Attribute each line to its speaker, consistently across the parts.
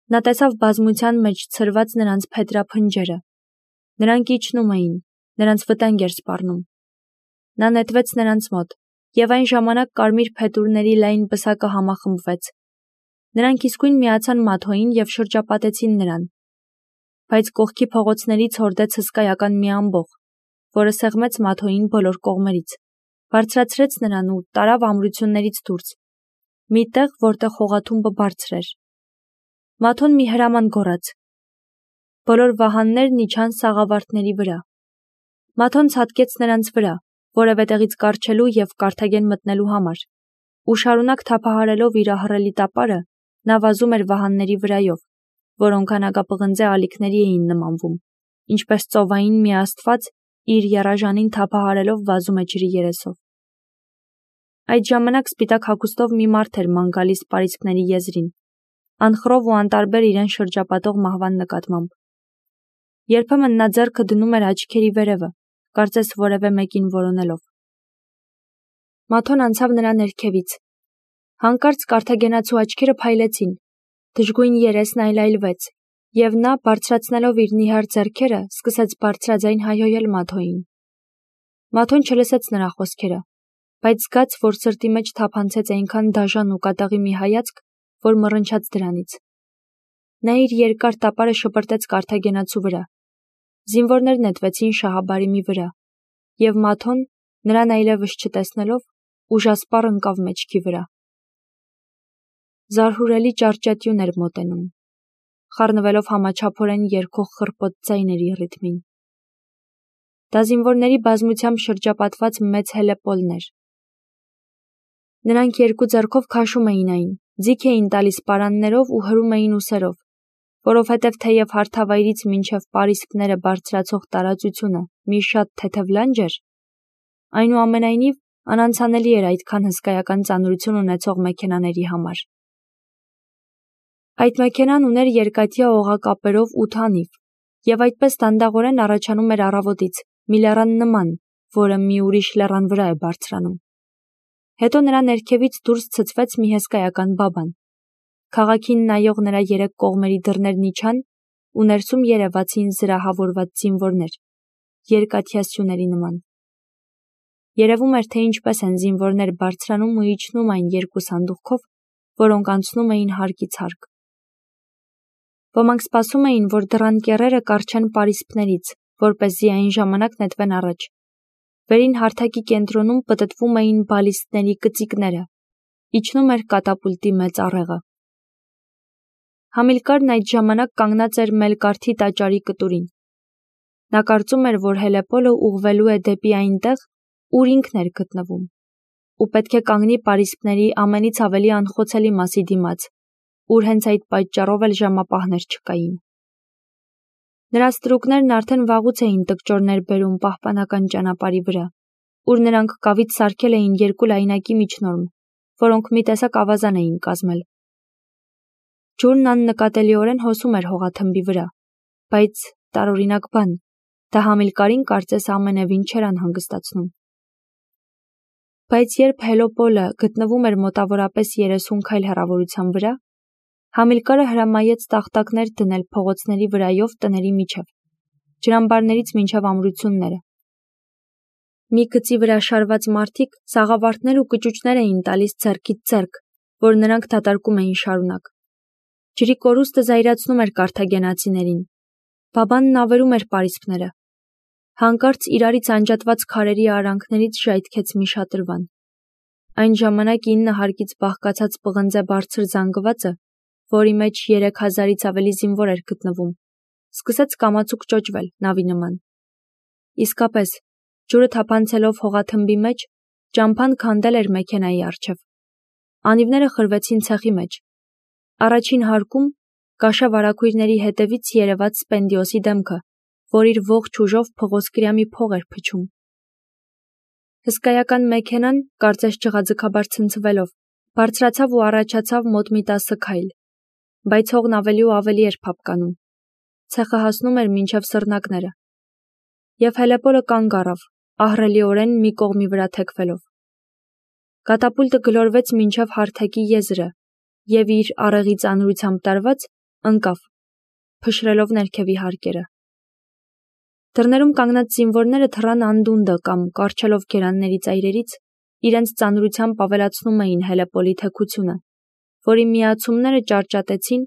Speaker 1: Նա տեսավ բազմության մեջ ցրված նրանց փետրափնջերը. նրանք իջնում էին, նրանց վտանգ էր սպառնում։ Նա նետվեց նրանց մոտ, և այն ժամանակ կարմիր փետուրների լայն պսակը համախմբվեց։ Նրանք իսկույն միացան Մաթոյին և շրջապատեցին նրան, բայց կողքի փողոցներից հորդեց հսկայական մի ամբոխ, որը սեղմեց Մաթոյին բոլոր կողմերից, բարձրացրեց նրան ու տարավ ամրություններից դուրս, մի տեղ, որտեղ հողաթումբը բարձր էր։ Մաթոն մի հրաման գոռաց։ Բոլոր վահաններն իջան սաղավարտների վրա։ Մաթոն ցատկեց նրանց վրա, որևէ տեղից կառչելու և Կարթագեն մտնելու համար, ու շարունակ թափահարելով իր ահռելի տապարը, նա վազում էր վահանների վրայով, որոնք անագապղնձե ալիքների էին նմանվում, ինչպես ծովային մի աստված իր եռաժանին թափահարելով վազում է ջրի երեսով։ Այդ ժամանակ սպիտակ հագուստով մի մարդ էր ման գալիս պարիսպների եզրին, անխռով ու անտարբեր իրեն շրջապատող մահվան նկատմամբ։ Երբեմն նա ձեռքը դնում էր աչքերի վերևը, կարծես որևէ մեկին որոնելով։ Մաթոն անցավ նրա ներքևից։ Հանկարծ կարթագենացու աչքերը փայլեցին, դժգույն երեսն այլայլվեց, և նա, բարձրացնելով իր նիհար ձեռքերը, սկսեց բարձրաձայն հայհոյել Մաթոյին։ Մաթոն չլսեց նրա խոսքերը, բայց զգաց, որ սրտի մեջ թափանցեց այնքան դաժան ու կատաղի մի հայացք, որ մռնչաց դրանից։ Նա իր երկար տապարը շպրտեց կարթագենացու վրա։ Զինվորներ նետվեցին շահաբարիմի վրա, և Մաթոն, նրան այլևս չտեսնելով, ուժասպառ ընկավ մեջքի վրա։ Զարհուրելի ճարճատյուն էր մոտենում, խառնվելով համաչափորեն երգող խռպոտ ձայների ռիթմին։ Դա զինվորների բազմությամբ շրջապատված մեծ հելեպոլն էր։ Նրանք երկու ձեռքով քաշում էին այն, ձիգ էին տալիս պարաններով ու հրում էին ուսերով, որովհետև թեև հարթավայրից մինչև պարիսպները բարձրացող տարածությունը մի շատ թեթև լանջ էր, այնուամենայնիվ անանցանելի էր այդքան հսկայական ծանրություն ունեցող մեքենաների համար։ Այդ մեքենան ուներ երկաթյա օղակապերով 8 անիվ, և այդպես դանդաղորեն առաջանում էր առավոտից, մի լեռան նման, որը մի ուրիշ լեռան վրա է բարձրանում։ Հետո նրա ներքևից դուրս ցցվեց մի հսկայական բաբան։ Քաղաքին նայող նրա երեք կողմերի դռներն իջան, ու ներսում երևացին զրահավորված զինվորներ, երկաթյա սյուների նման։ Երևում էր, թե ինչպես են զինվորներ բարձրանում ու իջնում այն երկու սանդուղքով, որոնք անցնում էին հարկից հարկ։ Ոմանք սպասում էին, որ դռան կեռերը կառչեն պարիսպներից, որպեսզի այն ժամանակ նետվեն առաջ։ Վերին հարթակի կենտրոնում պտտվում էին բալիստների կծիկները, իջնում էր կատապուլտի մեծ առեղը։ Համիլկարն այդ ժամանակ կանգնած էր Մելկարթի տաճարի կտուրին։ Նա կարծում էր, որ հելեպոլը ուղղվելու է դեպի այնտեղ, ուր ինքն էր գտնվում, ու պետք է կանգնի պարիսպների ամենից ավելի անխոցելի մասի դիմաց, ուր հենց այդ պատճառով էլ ժամապահներ չկային։ Նրա ստրուկներն արդեն վաղուց էին տկճորներ բերում պահպանական ճանապարհի վրա, ուր նրանք կավից սարքել էին երկու լայնակի միջնորմ, որոնք մի տեսակ ավազան էին կազմել։ Ջուրն աննկատելիորեն հոսում էր հողաթմբի վրա, բայց տարօրինակ բան, դա Համիլկարին կարծես ամենևին չէր անհանգստացնում։ Բայց երբ հելոպոլը գտնվում էր մոտավորապես 30 քայլ հեռավորության վրա, Համիլկարը հրամայեց տախտակներ դնել փողոցների վրայով տների միջև, ջրամբարներից մինչև ամրությունները։ Մի գծի վրա շարված մարդիկ սաղավարտներ ու կճուճներ էին տալիս ձեռքից ձեռք, որ նրանք դատարկում էին շարունակ։ Ջրի կորուստը զայրացնում էր կարթագենացիներին։ Բաբանն ավերում էր պարիսպները։ Հանկարծ իրարից անջատված քարերի արանքներից ժայթքեց մի շատրվան։ Այն ժամանակ 9 հարկից բաղկացած պղնձե բարձր զանգվածը, որի մեջ 3000-ից ավելի զինվոր էր գտնվում, սկսեց կամացուկ ճոճվել նավի նման։ Իսկապես, ջուրը թափանցելով հողաթմբի մեջ, ճամփան քանդել էր մեքենայի առջև։ Անիվները խրվեցին ցեխի մեջ։ Առաջին հարկում կաշա վարագույրների հետևից երևաց Սպենդիոսի դեմքը, որ իր ողջ ուժով փղոսկրյամի փող էր փչում։ Հսկայական մեքենան, կարծես ջղաձգաբար ցնցվելով, բարձրացավ ու առաջացավ մոտ մի 10 քայլ, բայց հողն ավելի ու ավելի էր փափկանում։ Ցեխը հասնում էր մինչև սռնակները։ Եվ հելեպոլը կանգ առավ, ահռելիորեն մի կողմի վրա թեքվելով։ Կատապուլտը գլորվեց մինչև հարթակի եզրը, և իր առեղի ծանրությամբ տարված ընկավ, փշրելով ներքևի հարկերը։ Դռներում կանգնած զինվորները թռան անդունդը կամ կառչելով գերանների ծայրերից, իրենց ծանրությամբ ավելացնում էին հելեպոլի թեքությունը, որի միացումները ճարճատեցին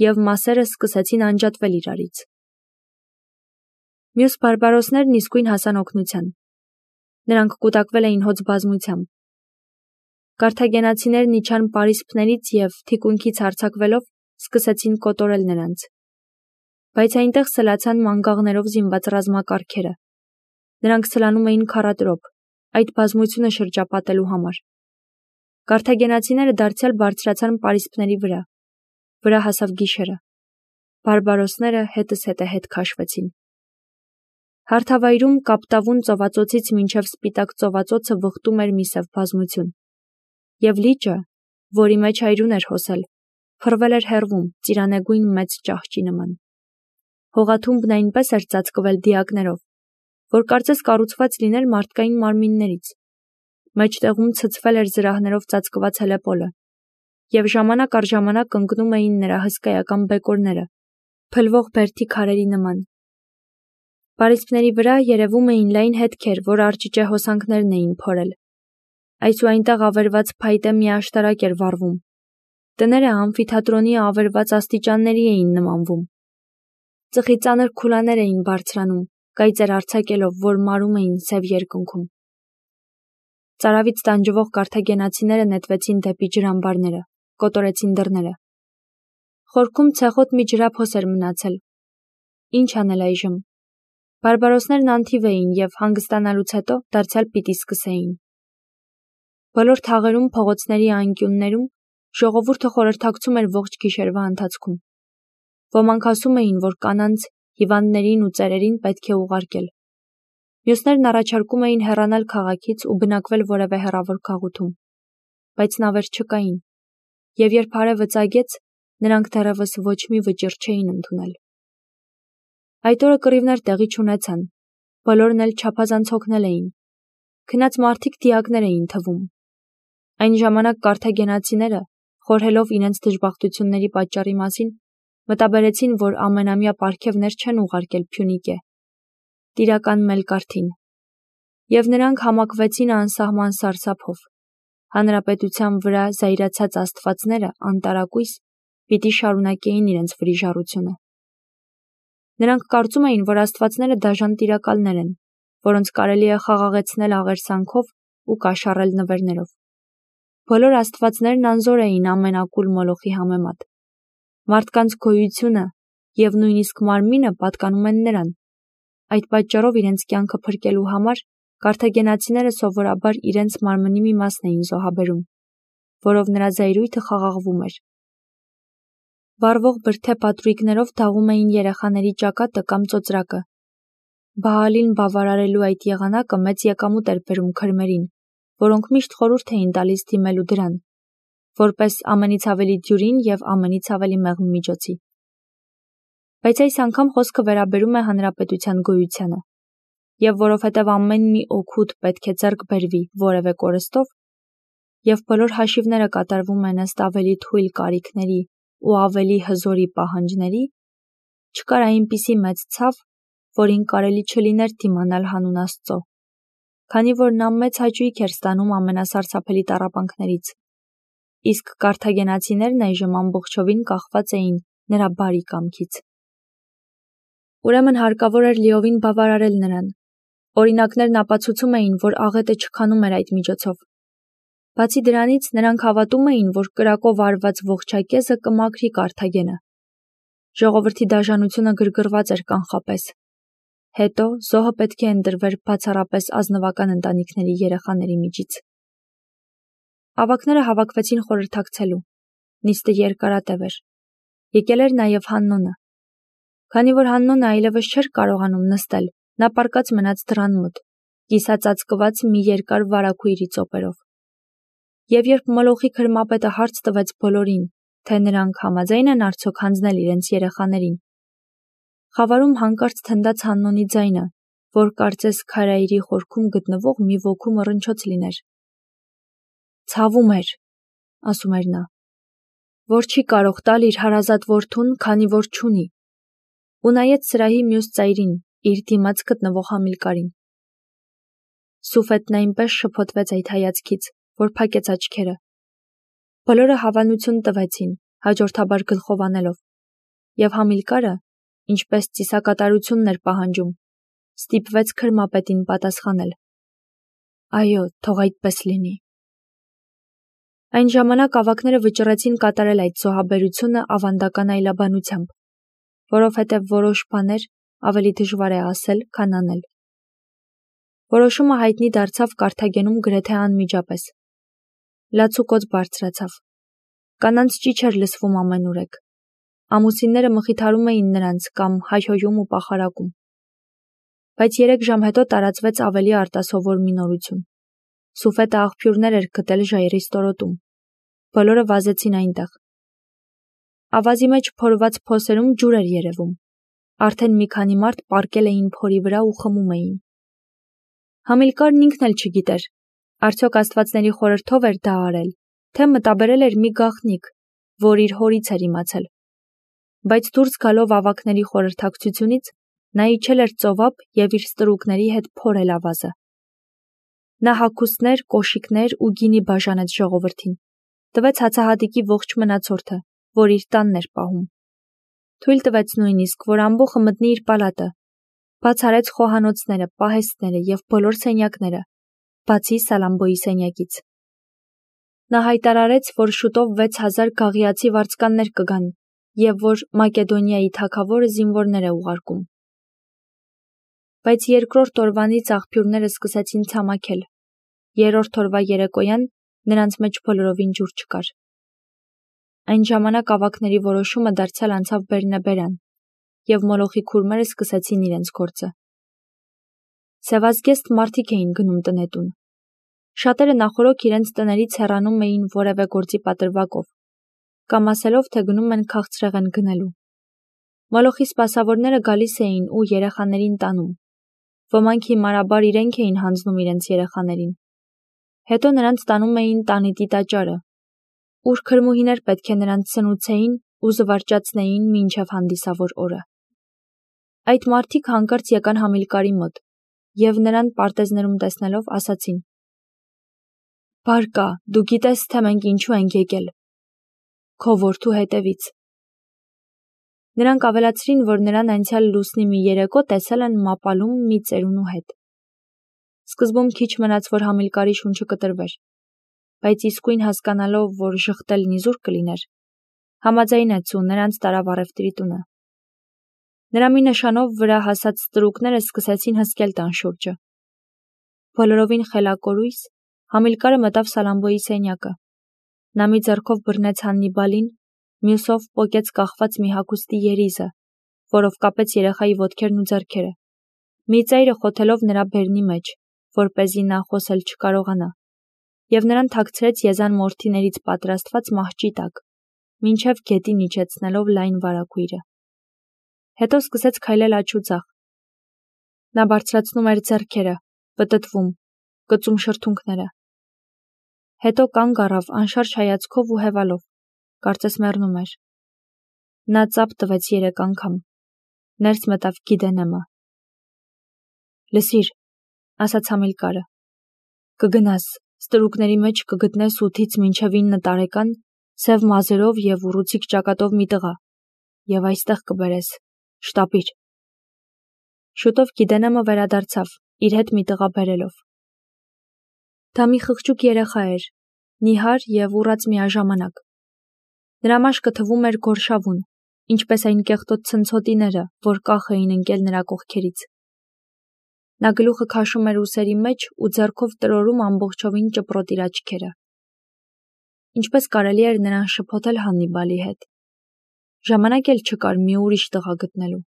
Speaker 1: և մասերը սկսեցին անջատվել իրարից։ Մյուս բարբարոսներն իսկույն հասան օգնության։ Նրանք կուտակվել էին հոծ բազմությամբ։ Կարթագենացիներն իջան պարիսպներից և թիկունքից հարձակվելով սկսեցին կոտորել նրանց։ Բայց այնտեղ սլացան մանգաղներով զինված ռազմակարգերը։ Նրանք սլանում էին քառատրոփ, այդ բազմությունը շրջապատելու համար։ Կարթագենացիները դարձյալ բարձրացան պարիսպների վրա։ Վրա հասավ գիշերը։ Բարբարոսները հետզհետե հետ քաշվեցին։ Հարթավայրում կապտավուն ծովածոցից մինչև սպիտակ ծովածոցը վխտում էր մի սև բազմություն։ Եվ լիճը, որի մեջ այրուն էր հոսել, փռվել էր հեռվում ծիրանեգույն մեծ ճահճի նման։ Հողաթումբն այնպես էր ծածկվել դիակներով, որ կարծես կառուցված լիներ մարդկային մարմիններից։ Մեջտեղում ցցվել էր զրահներով ծածկված հելեպոլը, և ժամանակ առ ժամանակ ընկնում էին նրա հսկայական բեկորները, փլվող բերդի քարերի նման։ Պարիսպների վրա երևում էին լայն հետքեր, որ արճիճե հոսանքներն էին փորել։ Այս ու այնտեղ ավերված փայտե մի աշտարակ էր վառվում։ Տները ամֆիթատրոնի ավերված աստիճանների էին նմանվում։ Ծխի ծանր քուլաներ էին բարձրանում, կայծեր արձակելով, որ մարում էին սև երկնքում։ Ծարավից տանջվող կարթագենացիները նետվեցին դեպի ջրամբարները, կոտորեցին դռները։ Խորքում ցեխոտ մի ջրափոս էր մնացել։ Ինչ անել այժմ։ Բարբարոսներն անթիվ էին և հանգստանալուց հետո դարձյալ պիտի սկսեին։ Բոլոր թաղերում, փողոցների անկյուններում ժողովուրդը խորհրդակցում էր ողջ գիշերվա ընթացքում։ Ոմանք ասում էին, որ կանանց, հիվանդներին ու ծերերին պետք է ուղարկել։ Մյուսներն առաջարկում էին հեռանալ քաղաքից ու բնակվել որևէ հեռավոր քաղուտում։ Բայց նավեր չկային, և երբ արևը ծագեց, նրանք դեռևս ոչ մի վճիռ չէին ընդունել։ Այդ օրը կռիվներ տեղի չունեցան, բոլորն էլ չափազանց հոգնել էին։ Քնած մարդիկ դիակներ էին թվում։ Այն ժամանակ կարթագենացիները, խորհելով իրենց դժբախտությունների պատճառի մասին, մտաբերեցին, որ ամենամյա պարգևներ չեն ուղարկել Փյունիկե, տիրական Մելկարթին, և նրանք համակվեցին անսահման սարսափով։ Հանրապետության վրա զայրացած աստվածները անտարակույս պիտի շարունակեին իրենց վրիժառությունը։ Նրանք կարծում էին, որ աստվածները դաժան տիրակալներ են, որոնց կարելի է խաղաղեցնել աղերսանքով ու կաշառել նվերներով։ Բոլոր աստվածներն անզոր էին ամեն ակուլ մոլոխի համեմատ։ Մարդկանց գոյությունը և նույնիսկ մարմինը պատկանում են նրան։ Այդ պատճառով իրենց կյանքը փրկելու համար կարթագենացիները սովորաբար իրենց մարմնի մի մասն էին զոհաբերում, որով նրա զայրույթը խաղաղվում էր։ Վառվող բրդե պատրույգներով թաղում էին երեխաների ճակատը կամ ծոծրակը։ Բաալին բավարարելու այդ եղանակը մեծ եկամուտ էր բերում քրմերին, որոնք միշտ խորհուրդ էին տալիս դիմելու դրան, որպես ամենից ավելի դյուրին և ամենից ավելի մեղմ միջոցի։ Բայց այս անգամ խոսքը վերաբերում է հանրապետության գոյությանը, և որովհետև ամեն մի օգուտ պետք է ձեռք բերվի որևէ կորստով, և բոլոր հաշիվները կատարվում են ըստ ավելի թույլ կարիքների ու ավելի հզորի պահանջների, չկար այնպիսի մեծ ցավ, որին կարելի չլիներ դիմանալ հանուն Աստծո, քանի որ նա մեծ հաճույք էր ստանում ամենասարսափելի տառապանքներից, իսկ կարթագենացիներն այժմ ամբողջովին կախված էին նրա բարի կամքից։ Ուրեմն հարկավոր էր լիովին բավարարել նրան։ Օրինակներն ապացուցում էին, որ աղետը չքանում էր այդ միջոցով։ Բացի դրանից, նրանք հավատում էին, որ կրակով արված ողջակեզը կմաքրի Կարթագենը։ Ժողովրդի դաժանությունը գրգռված էր կանխապես։ Հետո զոհը պետք է ընտրվեր բացառապես ազնվական ընտանիքների երեխաների միջից։ Ավագները հավաքվեցին խորհրդակցելու։ Նիստը երկարատև էր։ Եկել էր նաև Հաննոնը։ Քանի որ Հաննոնը այլևս չէր կարողանում նստել, նա պառկած մնաց դռան մոտ, կիսածածկված մի երկար վարագույրի ծոպերով։ Եվ երբ Մոլոխի քրմապետը հարց տվեց բոլորին, թե նրանք համաձայն են արդյոք հանձնել իրենց երեխաներին, խավարում հանկարծ թնդաց Հաննոնի ձայնը, որ կարծես քարայրի խորքում գտնվող մի ոգու մռնչոց լիներ։ «Ցավում էր», ասում էր նա, որ չի կարող տալ իր հարազատ որդուն, քանի որ չունի, ու նայեց սրահի մյուս ծայրին, իր դիմաց գտնվող Համիլկարին։ Սուֆետն այնպես շփոթվեց այդ հայացքից, որ փակեց աչքերը։ Բոլորը հավանություն տվեցին, հաջորդաբար գլխով անելով, և Համիլկարը, ինչպես ծիսակատարությունն էր պահանջում, ստիպվեց քրմապետին պատասխանել. «Այո, թող այդպես լինի»։ Այն ժամանակ ավագները վճռեցին կատարել այդ զոհաբերությունը ավանդական այլաբանությամբ, որովհետև որոշ բաներ ավելի դժվար է ասել, քան անել։ Որոշումը հայտնի դարձավ Կարթագենում գրեթե անմիջապես։ Լացուկոծ բարձրացավ։ Կանանց ճիչ էր լսվում ամենուրեք։ Ամուսինները մխիթարում էին նրանց կամ հայհոյում ու պախարակում։ Բայց 3 ժամ հետո տարածվեց ավելի արտասովոր մի նորություն։ Սուֆետը աղբյուրներ էր գտել ժայռի ստորոտում։ Բոլորը վազեցին այնտեղ։ Ավազի մեջ փորված փոսերում ջուր էր երևում։ Արդեն մի քանի մարդ պառկել էին փորի վրա ու խմում էին։ Համիլկարն ինքն էլ չգիտեր, արդյոք աստվածների խորհրդով էր դա արել, թե մտաբերել էր մի գաղտնիք, որ իր հորից էր իմացել։ Բայց դուրս գալով ավագների խորհրդակցությունից, նա իջել էր ծովափ և իր ստրուկների հետ փորել ավազը։ Նա հագուստներ, կոշիկներ ու գինի բաժանեց ժողովրդին, տվեց հացահատիկի ողջ մնացորդը, որ իր տանն էր պահում։ Թույլ տվեց նույնիսկ, որ ամբոխը մտնի իր պալատը, բաց արեց խոհանոցները, պահեստները և բոլոր սենյակները, բացի Սալամբոյի սենյակից։ Նա հայտարարեց, որ շուտով 6000 գաղիացի վարձկաններ կգան և որ Մակեդոնիայի թագավորը զինվորներ է ուղարկում։ Բայց երկրորդ օրվանից աղբյուրները սկսեցին ցամաքել։ Երրորդ օրվա երեկոյան նրանց մեջ բոլորովին ջուր չկար։ Այն ժամանակ ավագների որոշումը դարձյալ անցավ բերնեբերան, և մոլոխի քուրմերը սկսեցին իրենց գործը։ Սևազգեստ մարդիկ էին գնում տնետուն։ Շատերը նախօրոք իրենց տներից հեռանում էին որևէ գործի պատրվակով, կամ ասելով, թե գնում են քաղցրեղեն գնելու։ Մոլոխի սպասավորները գալիս էին ու երեխաներին տանում։ Ոմանք հիմարաբար իրենք էին հանձնում իրենց երեխաներին։ Հետո նրանց տանում էին տանիտի տաճարը, ուր քրմուհիներ պետք է նրանց սնուցեին ու զվարճացնեին մինչև հանդիսավոր օրը։ Այդ մարդիկ հանկարծ եկան Համիլկարի մոտ և նրան պարտեզներում տեսնելով ասացին. «Բարկա, դու գիտես, թե մենք ինչու ենք եկել։ Քո որդու հետևից»։ Նրանք ավելացրին, որ նրան անցյալ լուսնի մի երեկո տեսել են մապալում մի ծերունու հետ։ Սկզբում քիչ մնաց, որ Համիլկարի շունչը կտրվեր, բայց իսկույն հասկանալով, որ ժխտելն իզուր կլիներ, համաձայնեց ու նրանց տարավ առևտրի տունը։ Նրա մի նշանով վրա հասած ստրուկները սկսեցին հսկել տան շուրջը։ Բոլորովին խելակորույս Համիլկարը մտավ Սալամբոյի սենյակը։ Նա մի ձեռքով բռնեց Հաննիբալին, մյուսով պոկեց կախված մի հագուստի երիզը, որով կապեց երեխայի ոտքերն ու ձեռքերը, մի ծայրը խոթելով նրա բերնի մեջ, որպեսզի նա խոսել չկարողանա, և նրան թաքցրեց եզան մորթիներից պատրաստված մահճի տակ, մինչև գետին իջեցնելով լայն վարագույրը։ Հետո սկսեց քայլել աջ ու ձախ։ Նա բարձրացնում էր ձեռքերը, պտտվում, գծում շրթունքները։ Հետո կանգ առավ անշարժ հայացքով ու հևալով, կարծես մեռնում էր։ Նա ծափ տվեց 3 անգամ։ Ներս մտավ Գիդենեմը։ «Լսիր», ասաց Համիլկարը, «կգնաս, ստրուկների մեջ կգտնես 8-ից մինչև 9 տարեկան, սև մազերով և ուռուցիկ ճակատով մի տղա, և այստեղ կբերես, շտապիր»։ Շուտով Գիդենեմը վերադարձավ, իր հետ մի տղա բերելով։ Դա մի խղճուկ երեխա էր, նիհար և ուռած միաժամանակ։ Նրա մաշկը թվում էր գորշավուն, ինչպես այն կեղտոտ ցնցոտիները, որ կախ էին ընկել նրա կողքերից։ Նա գլուխը քաշում էր ուսերի մեջ ու ձեռքով տրորում ամբողջովին ճպրոտ իր աչքերը։ Ինչպես կարելի էր նրան շփոթել Հաննիբալի հետ։ Ժամանակ էլ չկար մի ուրիշ տղա գտնելու։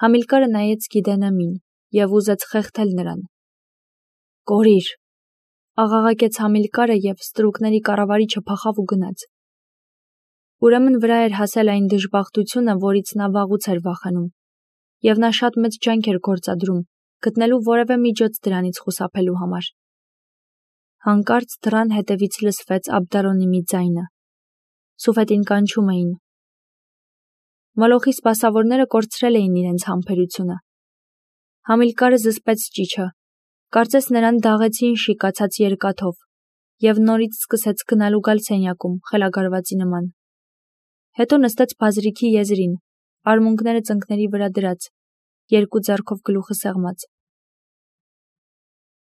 Speaker 1: Համիլկարը նայեց Գիդենեմին և ուզեց խեղդել նրան։ «Կորիր», աղաղակեց Համիլկարը և ստրուկների կառավարիչը փախավ ու գնաց։ Ուրեմն վրա էր հասել այն դժբախտությունը, որից նա վաղուց էր վախենում, և նա շատ մեծ ջանք էր գործադրում, գտնելու որևէ միջոց դրանից խուսափելու համար։ Հանկարծ դռան հետևից լսվեց Աբդարոնի մի ձայնը։ Սուֆետին կանչում էին։ Մոլոխի սպասավորները կորցրել էին իրենց համբերությունը։ Համիլկարը զսպեց ճիչը, կարծես նրան դաղեցին շիկացած երկաթով, և նորից սկսեց գնալ ու գալ սենյակում, խելագարվածի նման։ Հետո նստեց բազրիքի եզրին, արմունկները ծնկների վրա դրած, երկու ձեռքով գլուխը սեղմած։